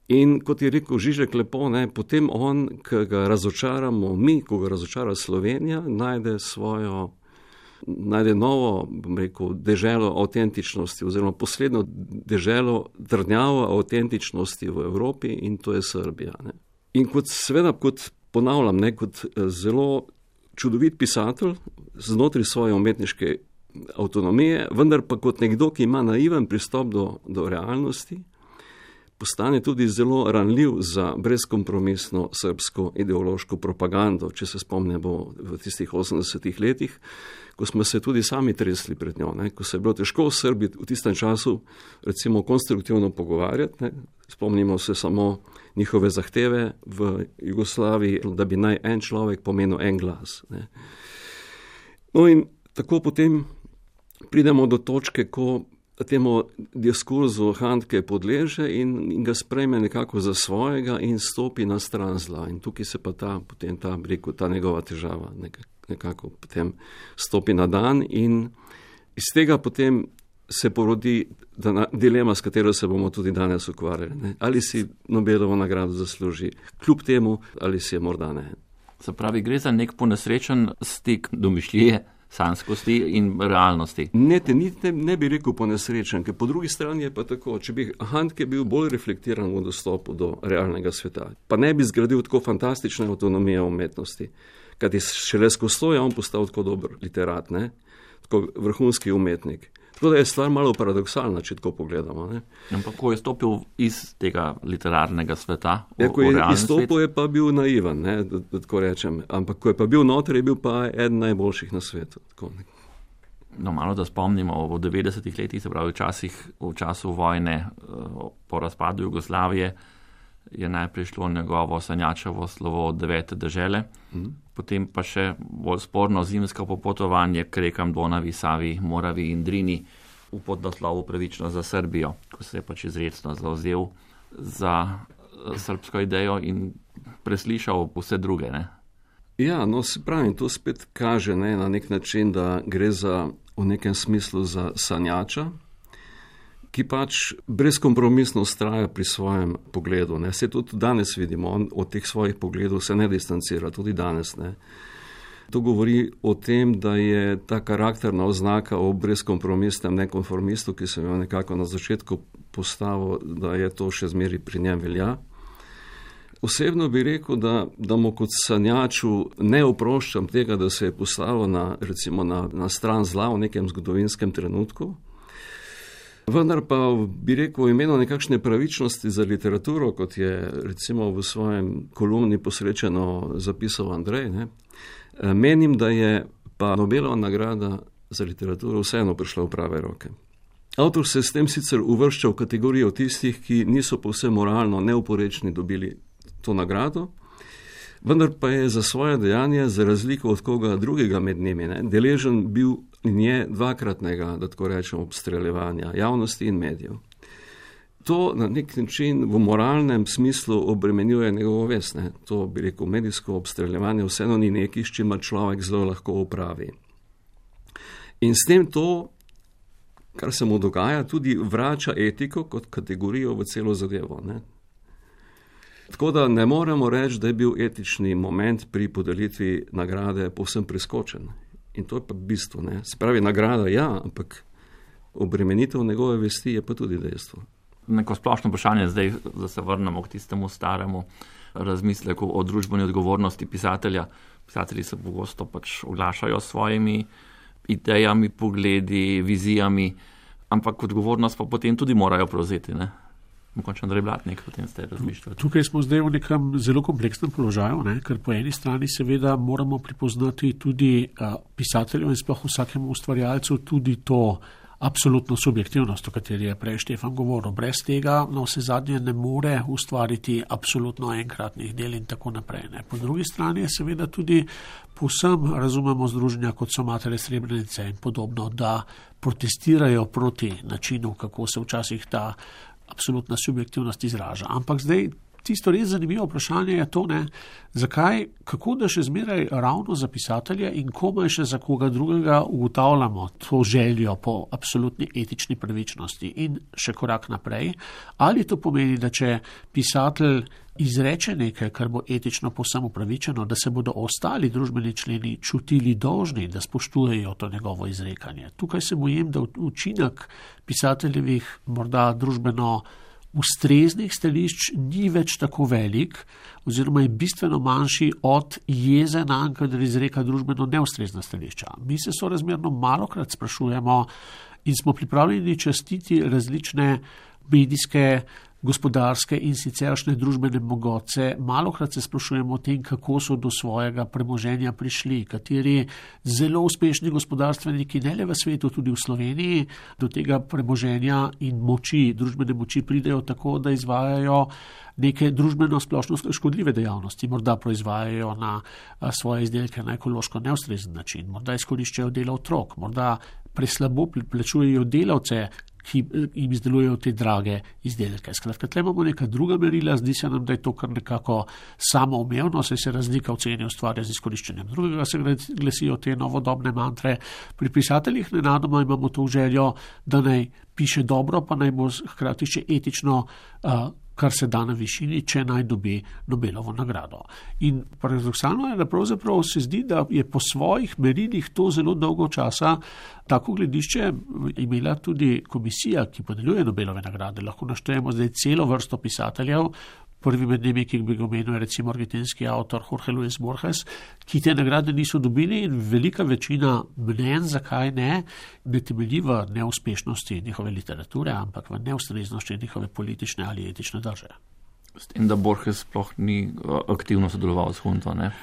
In kot je rekel Žižek lepo, ne, potem on, ki ga razočaramo mi, ko ga razočara Slovenija, najde svojo, najde novo, bom rekel, deželo avtentičnosti oziroma posledno deželo trdnjavo avtentičnosti v Evropi in to je Srbija. Ne. In kot seveda, kot ponavljam, ne, kot zelo čudovit pisatelj znotraj svoje umetniške avtonomije, vendar pa kot nekdo, ki ima naiven pristop do, do realnosti, postane tudi zelo ranljiv za brezkompromisno srbsko ideološko propagando, če se spomnimo v tistih osemdesetih letih, ko smo se tudi sami tresli pred njo, ne, ko se je bilo težko v Srbiji v tistem času recimo konstruktivno pogovarjati, ne. Spomnimo se samo njihove zahteve v Jugoslaviji, da bi naj en človek pomenil en glas. Ne. No in tako potem pridemo do točke, ko temu diskurzu Handke podleže in, in ga sprejme nekako za svojega in stopi na stran zla. In tukaj se pa ta, potem ta, rekel, ta njegova težava nekako potem stopi na dan in iz tega potem se porodi dilema, s katero se bomo tudi danes ukvarjali. Ne? Ali si Nobelovo nagrado zasluži, kljub temu, ali si je morda ne. Se pravi, gre za nek ponesrečen stik domišljije, sanskosti in realnosti. Ne, te, ne, ne bi rekel ponesrečen, ker po drugi strani je pa tako, če bi Handke bil bolj reflektiran v dostopu do realnega sveta, pa ne bi zgradil tako fantastične avtonomije umetnosti, kajti šele skozi to je on postal tako dober literat, ne? Tako vrhunski umetnik. Tako da je stvar malo paradoksalna, če tako pogledamo. Ne? Ampak ko je stopil iz tega literarnega sveta, v, ja, ko je izstopil, svet, je pa bil naivan, ne, da, da tako rečem. Ampak ko je pa bil noter, je bil pa eden najboljših na svetu. Tako. No, malo da spomnimo, v devetdesetih letih, se pravi v, časih, v času vojne po razpadu Jugoslavije, je najprej šlo njegovo sanjačevo slovo Devete dežele, mm. potem pa še bolj sporno zimsko popotovanje k rekam Donavi, Savi, Moravi in Drini v podnaslovu Pravično za Srbijo, ko se je pač izrecno zavzel za srbsko idejo in preslišal vse druge. Ne? Ja, no se pravi, to spet kaže, ne, na nek način, da gre za, v nekem smislu za sanjača, ki pač brezkompromisno vztraja pri svojem pogledu. Ne. Se tudi danes vidimo, on od teh svojih pogledov se ne distancira, tudi danes. Ne. To govori o tem, da je ta karakterna oznaka o brezkompromisnem nekonformistu, ki sem jo nekako na začetku postavil, da je to še zmeri pri njem velja. osebno bi rekel, da, da mu kot sanjaču ne oproščam tega, da se je postavil na, recimo na, na stran zla v nekem zgodovinskem trenutku. Vendar pa bi rekel v imenu nekakšne pravičnosti za literaturo, kot je recimo v svojem kolumni posrečeno zapisal Andrej, ne, menim, da je pa Nobelova nagrada za literaturo vseeno prišla v prave roke. Avtor se s tem sicer uvršča v kategorijo tistih, ki niso povsem moralno neoporečni dobili to nagrado, vendar pa je za svoje dejanje, za razliko od koga drugega med njimi, ne, deležen bil in je dvakratnega, da tako rečem, obstreljevanja javnosti in medijev. To na nek način v moralnem smislu obremenjuje njegovo vest. Ne. To bi rekel, medijsko obstreljevanje vseeno ni nekaj, s čimer človek zelo lahko opravi. In s tem to, kar se mu dogaja, tudi vrača etiko kot kategorijo v celo zadevo. Ne. Tako da ne moremo reči, da je bil etični moment pri podelitvi nagrade povsem preskočen. In to je pa bistvo. Ne. Se pravi, nagrada ja, ampak obremenitev njegove vesti je pa tudi dejstvo. Neko splošno vprašanje zdaj, da se vrnemo k tistemu staremu razmisleku o družbeni odgovornosti pisatelja. Pisatelji se pogosto pač oglašajo s svojimi idejami, pogledi, vizijami, ampak odgovornost pa potem tudi morajo prevzeti, ne? Mogoče Andrej Blatnik, potem ste razmišljali. Tukaj smo zdaj v nekem zelo kompleksnem položaju, ne? Ker po eni strani seveda moramo prepoznati tudi uh, pisateljev in sploh vsakemu ustvarjalcu tudi to absolutno subjektivnost, o kateri je prej Štefan govoril. Brez tega na vse zadnje ne more ustvariti absolutno enkratnih del in tako naprej. Ne. Po drugi strani je seveda tudi povsem razumemo združenja, kot so Matere Srebrenice in podobno, da protestirajo proti načinu, kako se včasih ta absolutna subjektivnost izraža. Ampak zdaj tisto res zanimivo vprašanje je to, ne, zakaj, kako da še zmeraj ravno za pisatelje in komaj še za koga drugega ugotavljamo to željo po absolutni etični pravičnosti in še korak naprej. Ali to pomeni, da če pisatelj izreče nekaj, kar bo etično povsem upravičeno, da se bodo ostali družbeni členi čutili dolžni, da spoštujejo to njegovo izrekanje. Tukaj se bojim, da učinek pisateljevih morda družbeno ustreznih stališč ni več tako velik oziroma je bistveno manjši od jeze nanj, kadar izreka družbeno neustrezna stališča. Mi se sorazmerno malokrat sprašujemo in smo pripravljeni častiti različne medijske, gospodarske in siceršnje družbene mogoce. Malokrat se sprašujemo o tem, kako so do svojega premoženja prišli, kateri zelo uspešni gospodarstveniki, ne le v svetu, tudi v Sloveniji, do tega premoženja in moči, družbene moči pridejo tako, da izvajajo neke družbeno splošno škodljive dejavnosti. Morda proizvajajo na svoje izdelke na ekološko neustrezen način, morda izkoriščajo delo otrok, morda preslabo plačujejo delavce, ki jim izdelujejo te drage izdelke. Skratka, tle imamo neka druga merila, zdi se nam, da je to kar nekako samoumevno, saj se razlika v ceni ustvarja z izkoriščenjem drugega, se glasijo te novodobne mantre. Pri pisateljih nenadoma imamo to željo, da naj piše dobro, pa naj bo hkrati še etično, uh, kar se da na višini, če naj dobi Nobelovo nagrado. In paradoksalno je, da pravzaprav se zdi, da je po svojih merilih to zelo dolgo časa tako gledišče imela tudi komisija, ki podeljuje Nobelove nagrade. Lahko naštejemo zdaj celo vrsto pisateljev. Prvi med njimi, ki bi ga omenil, je recimo argentinski avtor Jorge Luis Borges, ki te nagrade niso dobili in velika večina mnenj, zakaj ne, ne temelji v neuspešnosti njihove literature, ampak v neustreznosti njihove politične ali etične drže. S tem, da Borges sploh ni aktivno sodeloval s Hunto, ne?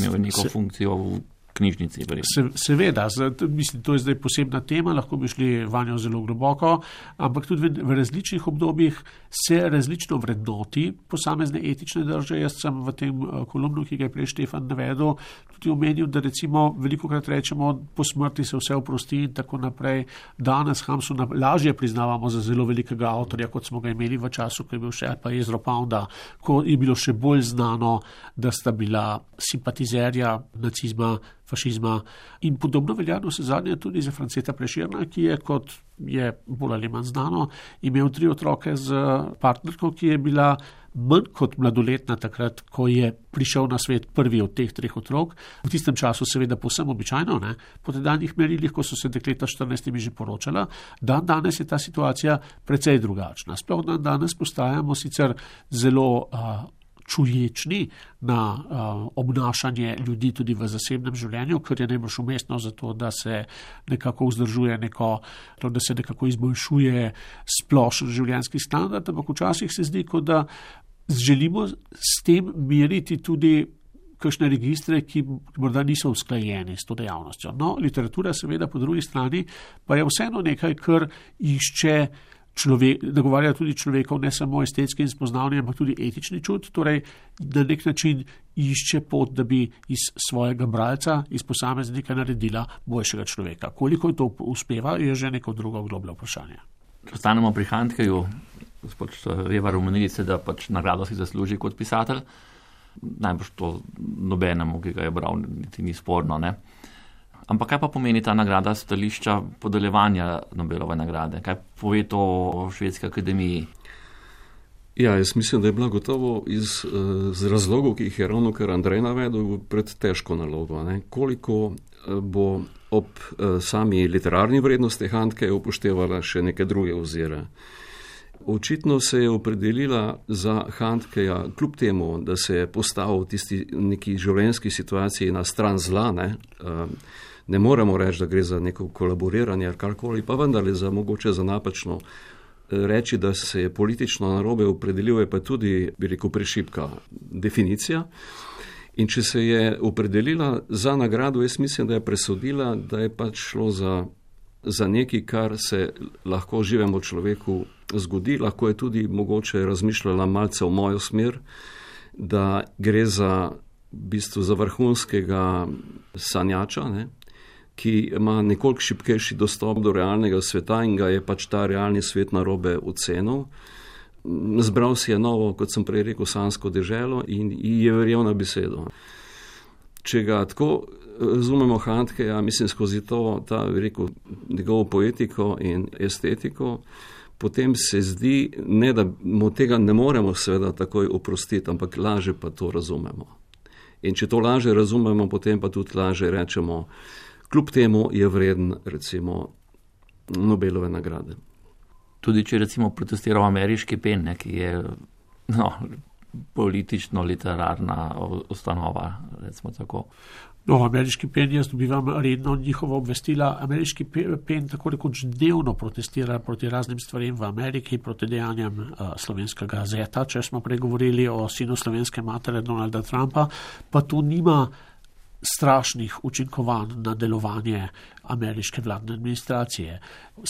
Imel neko se, funkcijo v knjižnici. Se, seveda, mislim, to je zdaj posebna tema, lahko bi šli vanjo zelo globoko, ampak tudi v, v različnih obdobjih se različno vrednoti posamezne etične drže. Jaz sem v tem kolumnu, ki ga je prej Štefan navedel, tudi omenil, da recimo velikokrat rečemo, po smrti se vse oprosti in tako naprej. Danes Hamsuna lažje priznavamo za zelo velikega avtorja, kot smo ga imeli v času, ko je bil še pa Ezra Pounda, ko je bilo še bolj znano, da sta bila simpatizerja nacizma, fašizma in podobno veljano se zadnje tudi za Franceta Prešerna, ki je, kot je bolj ali manj znano, imel tri otroke z partnerko, ki je bila manj kot mladoletna takrat, ko je prišel na svet prvi od teh treh otrok. V tistem času seveda povsem običajno, ne? Po tedanjih merilih, ko so se dekleta štirinajstimi že poročala, dan danes je ta situacija precej drugačna. Sploh dan danes postajamo sicer zelo uh, čuječni na uh, obnašanje ljudi tudi v zasebnem življenju, kar je najbolj umestno za to, da se nekako vzdržuje neko, to, da se nekako izboljšuje splošen življenjski standard, ampak včasih se zdi, kot da želimo s tem meriti tudi kakšne registre, ki morda niso usklajeni s to dejavnostjo. No, literatura seveda po drugi strani pa je vseeno nekaj, kar išče človek, nagovarja tudi človekov ne samo estetski in spoznavni, ampak tudi etični čut, torej na nek način išče pot, da bi iz svojega bralca, iz posameznika naredila boljšega človeka. Koliko to uspeva, je že neko drugo globlje vprašanje. Če ostanemo pri Handkeju, gospod Revar, omenili ste, da pač nagrado si zasluži kot pisatelj. Najbolj to nobenemu, ki ga je bral, niti ni sporno. Ne? Ampak kaj pa pomeni ta nagrada stališča podeljevanja Nobelove nagrade? Kaj pove to o Švedski akademiji? Ja, jaz mislim, da je bila gotovo iz, z razlogov, ki jih je ravno kar Andrej navedel, pred težko nalogo. Ne? Koliko bo ob sami literarni vrednosti Handkeja upoštevala še neke druge ozire. Očitno se je opredelila za Handkeja, kljub temu, da se je postavil v tisti neki življenjski situaciji na stran zla, ne, ne moremo reči, da gre za neko kolaboriranje ali karkoli, pa vendar za mogoče za napačno reči, da se je politično narobe opredelil, je pa tudi, bi rekel, prešibka definicija. In če se je opredelila za nagrado, jaz mislim, da je presodila, da je pač šlo za, za nekaj, kar se lahko živemu človeku zgodi, lahko je tudi mogoče razmišljala malce v mojo smer, da gre za, v bistvu, za vrhunskega sanjača, ne, ki ima nekoliko šibkejši dostop do realnega sveta in ga je pač ta realni svet narobe ocenil. Zbral si je novo, kot sem prej rekel, sansko deželo in je verjel na besedo. Če ga tako razumemo Handkeja, mislim skozi to, ta, rekel, njegovo poetiko in estetiko, potem se zdi, ne, da mu tega ne moremo seveda takoj oprostiti, ampak laže pa to razumemo. In če to laže razumemo, potem pa tudi laže rečemo, kljub temu je vreden, recimo, Nobelove nagrade. Tudi če recimo protestiral ameriški pen, ne, ki je no, politično-literarna ustanova, recimo tako. No, ameriški pen, jaz dobivam redno njihovo obvestila. Ameriški pen tako rekoč dnevno protestira proti raznim stvarem v Ameriki, proti dejanjem uh, slovenskega zeta, če smo pregovorili o sinu slovenske matere Donalda Trumpa, pa to nima strašnih učinkovanj na delovanje ameriške vladne administracije.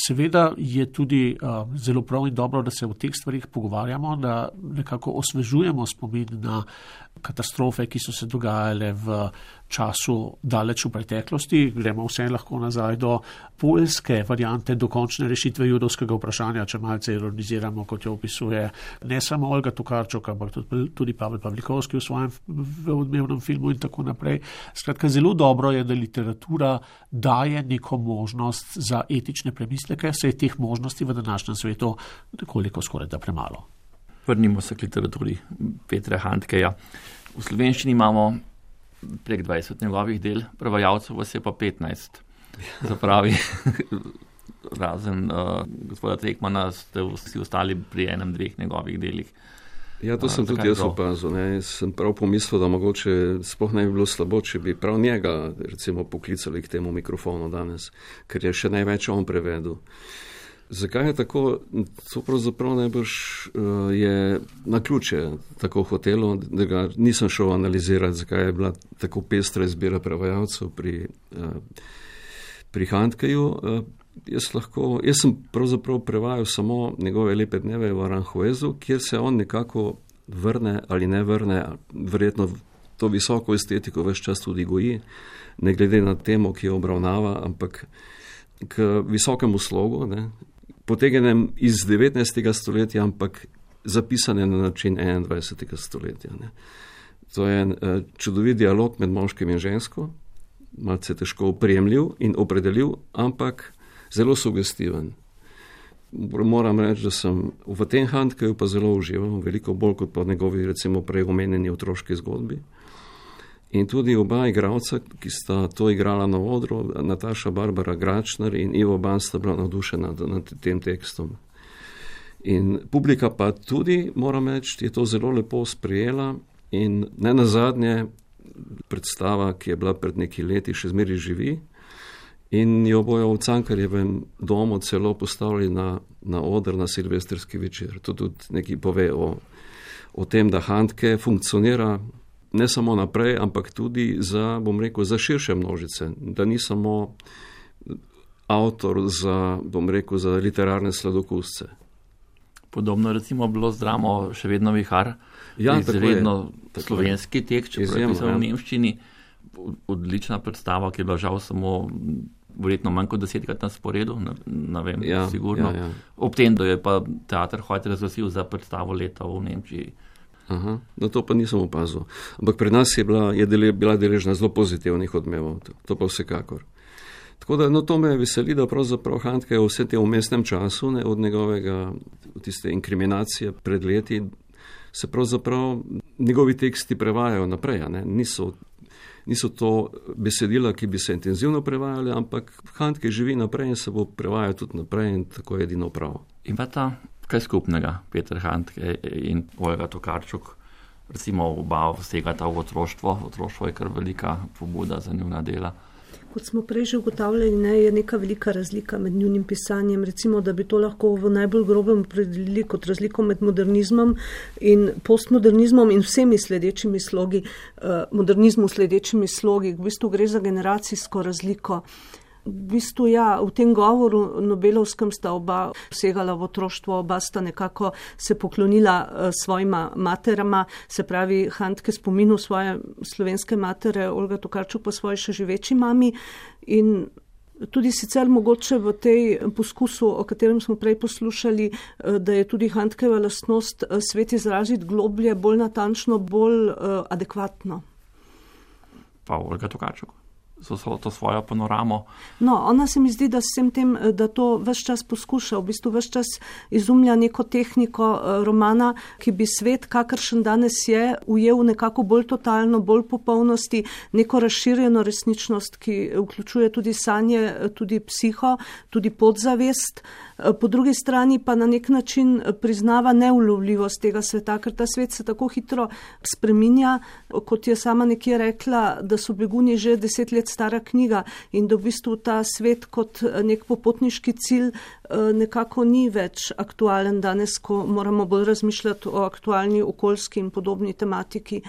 Seveda je tudi uh, zelo prav in dobro, da se o teh stvarih pogovarjamo, da nekako osvežujemo spomin na katastrofe, ki so se dogajale v času daleč v preteklosti. Gremo vse lahko nazaj do poljske variante dokončne rešitve judovskega vprašanja, če malce ironiziramo, kot jo opisuje ne samo Olga Tokarčuk, ampak tudi Pavel Pavlikovski v svojem odmevnem filmu in tako naprej. Skratka, zelo dobro je, da literatura daje neko možnost za etične premisleke, se je teh možnosti v današnjem svetu nekoliko skoraj da premalo. Vrnimo se k literaturi Petra Handkeja. V slovenščini imamo prek dvajset njegovih del, prevajalcev vas je pa petnajst. Zapravi, razen uh, gospoda Trekmana ste vsi ostali pri enem, dveh njegovih delih. Ja, to sem uh, tudi jaz opazil. Ne. Sem prav pomislil, da mogoče sploh ne bi bilo slabo, če bi prav njega recimo poklicali k temu mikrofonu danes, ker je še največ on prevedel. Zakaj je tako? To pravzaprav najbrž uh, je na ključe tako hotelo, da ga nisem šel analizirati, zakaj je bila tako pestra izbira prevajalcev pri, uh, pri Handkeju. Uh, jaz, lahko, jaz sem pravzaprav prevajal samo njegove lepe dneve v Aranjuezu, kjer se on nekako vrne ali ne vrne, verjetno to visoko estetiko ves čas tudi goji, ne glede na temo, ki jo obravnava, ampak k visokemu slogu, ne, potegenem iz devetnajstega stoletja, ampak zapisane na način enaindvajsetega stoletja. Ne. To je en uh, čudovit dialog med moškim in žensko, malce težko oprijemljiv in opredeljiv, ampak zelo sugestiven. Moram reči, da sem v tem Handkeju pa zelo užival, veliko bolj kot pa njegovi recimo prej omenjeni otroški zgodbi. In tudi oba igralca, ki sta to igrala na odru, Nataša Barbara Gračner in Ivo Ban, sta bila navdušena nad tem tekstom. In publika pa tudi, moram reči, je to zelo lepo sprejela in ne nazadnje predstava, ki je bila pred nekaj leti, še zmeraj živi in jo bojo v Cankarjevem domu celo postavili na, na oder na silvestrski večer. To tudi nekaj pove o, o tem, da Handke funkcionira ne samo naprej, ampak tudi za, bom rekel, za širše množice, da ni samo avtor za, bom rekel, za literarne sladokusce. Podobno recimo bilo z dramo Še vedno vihar, ja, izredno slovenski tekst, če je pisal ja. v nemščini, odlična predstava, ki je bila žal samo verjetno manj kot desetkrat na sporedu, ne, ne vem, ja, sigurno. Ja, ja. Ob tem, da je pa teater Hojt razglasil za predstavo leta v Nemčiji. Aha, no to pa nisem opazil. Ampak pri nas je bila, je dele, bila deležna zelo pozitivnih odmevov, to, to pa vsekakor. Tako da, no, to me veseli, da pravzaprav Handke vse te v mestnem času, ne, od njegovega, tiste inkriminacije pred leti, se pravzaprav njegovi teksti prevajajo naprej, ne, niso, niso to besedila, ki bi se intenzivno prevajali, ampak Handke živi naprej in se bo prevajal tudi naprej in tako je edino prav. Ima ta kaj skupnega, Peter Handke in Olga Tokarczuk, recimo oba vsegata v otroštvo, otroštvo je kar velika pobuda za njuna dela. Kot smo prej že ugotavljali, ne, je neka velika razlika med njunim pisanjem. Recimo, da bi to lahko v najbolj grobem opredelili kot razliko med modernizmom in postmodernizmom in vsemi sledečimi slogi, eh, modernizmu sledečimi slogi. V bistvu gre za generacijsko razliko. V bistvu, ja, v tem govoru Nobelovskem sta oba segala v otroštvo, oba sta nekako se poklonila uh, svojima materama, se pravi Handke spominu svoje slovenske matere, Olga Tokarczuk pa svoji še živeči mami in tudi sicer mogoče v tej poskusu, o katerem smo prej poslušali, uh, da je tudi Handkeva lastnost uh, svet izraziti globlje, bolj natančno, bolj uh, adekvatno. Pa Olga Tokarczuk? So, so to svojo panoramo. No, ona se mi zdi, da vsem tem, da to ves čas poskuša, v bistvu ves čas izumlja neko tehniko romana, ki bi svet, kakršen danes je, ujel nekako bolj totalno, bolj popolnosti, neko razširjeno resničnost, ki vključuje tudi sanje, tudi psiho, tudi podzavest. Po drugi strani pa na nek način priznava neulovljivost tega sveta, ker ta svet se tako hitro spreminja, kot je sama nekje rekla, da so Beguni že deset let stara knjiga in da v bistvu ta svet kot nek popotniški cilj nekako ni več aktualen danes, ko moramo bolj razmišljati o aktualni okoljski in podobni tematiki.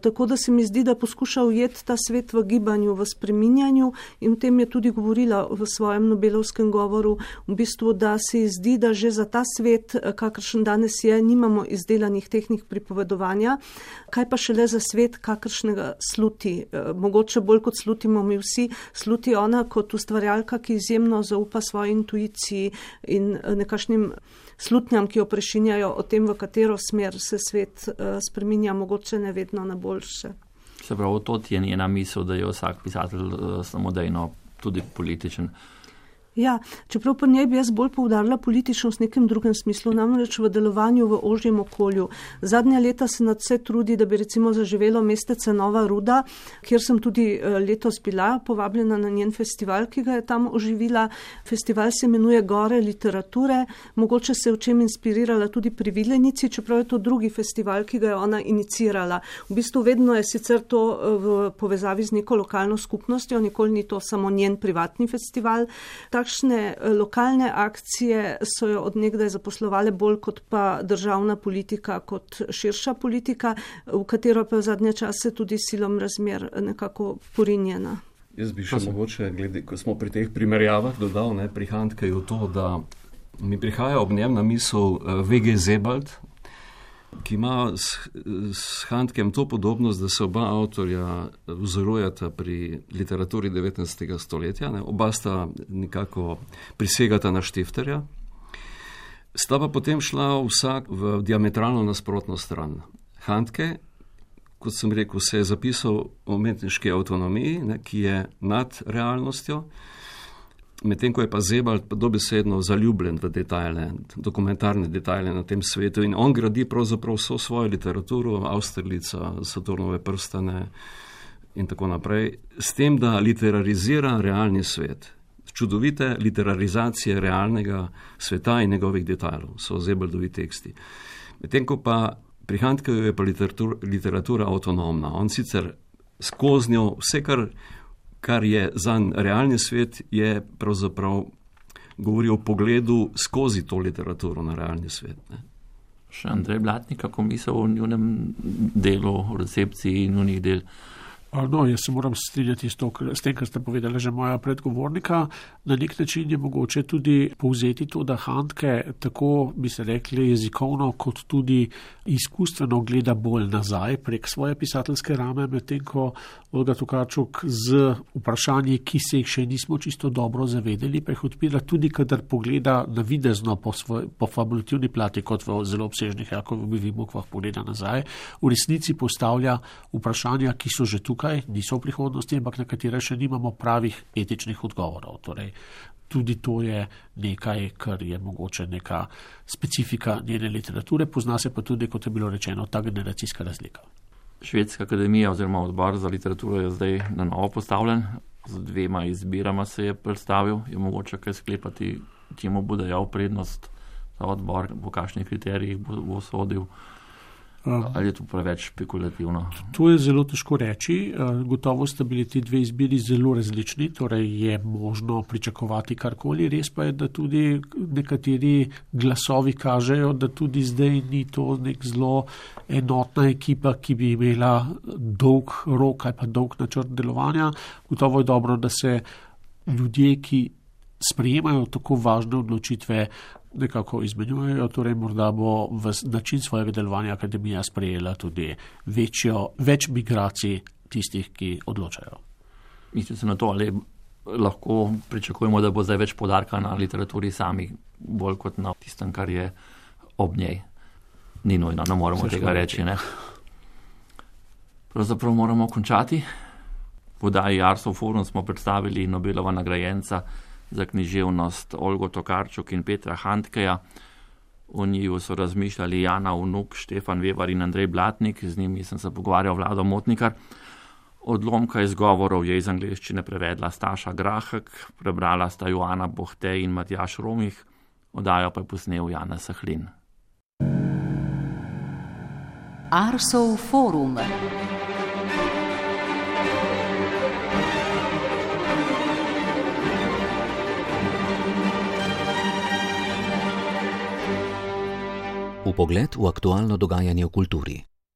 Tako da se mi zdi, da poskuša ujeti ta svet v gibanju, v spreminjanju in o tem je tudi govorila v svojem Nobelovskem govoru, v bistvu, da se ji zdi, da že za ta svet, kakršen danes je, nimamo izdelanih tehnik pripovedovanja, kaj pa šele za svet, kakršnega sluti. Mogoče bolj kot slutimo mi vsi, sluti ona kot ustvarjalka, ki izjemno zaupa svoji intuiciji in nekašnim slutnjam, ki jo prešinjajo o tem, v katero smer se svet uh, spreminja, mogoče ne vedno na boljše. Se pravi, to je njena misel, da je vsak pisatelj uh, samodejno tudi političen. Ja, čeprav pa njej bi jaz bolj poudarila političnost v nekem drugem smislu, namreč v delovanju v ožjem okolju. Zadnja leta se nadvse trudi, da bi recimo zaživelo mestece Nova Ruda, kjer sem tudi letos bila povabljena na njen festival, ki ga je tam oživila. Festival se imenuje Gore literature, mogoče se je v čem inspirirala tudi pri Vilenici, čeprav je to drugi festival, ki ga je ona inicirala. V bistvu vedno je sicer to v povezavi z neko lokalno skupnostjo, nikoli ni to samo njen privatni festival. Takšne lokalne akcije so jo od nekdaj zaposlovale bolj kot pa državna politika, kot širša politika, v katero pa v zadnje čase tudi silom razmer nekako porinjena. Jaz bi še mogoče, glede, ko smo pri teh primerjavah dodal, ne, pri Handkeju to, da mi prihaja ob njem na misel V G Sebald, ki ima s, s Handkem to podobnost, da se oba avtorja vzorujeta pri literaturi devetnajstega stoletja, ne? Oba sta nekako prisegata na Štifterja, sta pa potem šla vsak v diametralno nasprotno stran. Handke, kot sem rekel, se je zapisal o umetniški avtonomiji, ne, ki je nad realnostjo, medtem ko je pa Sebald dobesedno zaljubljen v detajle, dokumentarne detajle na tem svetu in on gradi pravzaprav vso svojo literaturo, Austerlica, Saturnove prstane in tako naprej, s tem, da literarizira realni svet. čudovite literarizacije realnega sveta in njegovih detajlov, so Zebeldovi teksti. Medtem ko pa pri Handkeju je pa literatura, literatura avtonomna. On sicer skozi njo vse, kar, kar je zanj realni svet, je pravzaprav govori o pogledu skozi to literaturo na realni svet. Ne. Še Andrej Blatnik, kako misel o njunem delu, o recepciji njunih del? No, jaz se moram strinjati s, to, s tem, kar ste povedali že moja predgovornika. Na nek način je mogoče tudi povzeti to, da Handke tako, bi se rekli, jezikovno kot tudi izkustveno gleda bolj nazaj prek svoje pisateljske rame, medtem ko Olga Tokarczuk z vprašanji, ki se jih še nismo čisto dobro zavedeli, pa jih odpira tudi, kadar pogleda navidezno po, svoj, po fabulativni plati, kot v zelo obsežnih Jakovovih bukvah pogleda nazaj, v resnici postavlja vprašanja, ki so že tukaj, niso v prihodnosti, ampak na katere še nimamo pravih etičnih odgovorov. Torej, tudi to je nekaj, kar je mogoče neka specifika njene literature, pozna se pa tudi, kot je bilo rečeno, ta generacijska razlika. Švedska akademija oziroma odbor za literaturo je zdaj na novo postavljen, z dvema izbirama se je predstavil, je mogoče kaj sklepati, čemu bo dajal prednost ta odbor, po kakšnih kriterijih bo, bo sodil. Ali je to preveč špekulativno? To je zelo težko reči. Gotovo sta bili ti dve izbiri zelo različni, torej je možno pričakovati karkoli. Res pa je, da tudi nekateri glasovi kažejo, da tudi zdaj ni to nek zelo enotna ekipa, ki bi imela dolg rok ali pa dolg načrt delovanja. Gotovo je dobro, da se ljudje, ki sprejemajo tako važne odločitve, nekako izmenjujejo, torej morda bo v način svojega delovanja akademija sprejela tudi večjo, več migracij tistih, ki odločajo. Mislite se na to, ali lahko pričakujemo, da bo zdaj več poudarka na literaturi sami, bolj kot na tistem, kar je ob njej? Ni nujno, ne moramo Vse tega reči. Ne? Pravzaprav moramo končati. V oddaji Arsov forum smo predstavili Nobelova nagrajenca za književnost Olgo Tokarczuk in Petra Handkeja. O njiju so razmišljali Jana Vnuk, Štefan Vevar in Andrej Blatnik, z njimi sem se pogovarjal Vlado Motnikar. Odlomka izgovorov je iz angleščine prevedla Staša Grahek, prebrala sta Joana Bohte in Matjaž Romih, oddajo pa je posnel Janez Sahlin. Arsov forum. Vpogled v aktualno dogajanje v kulturi.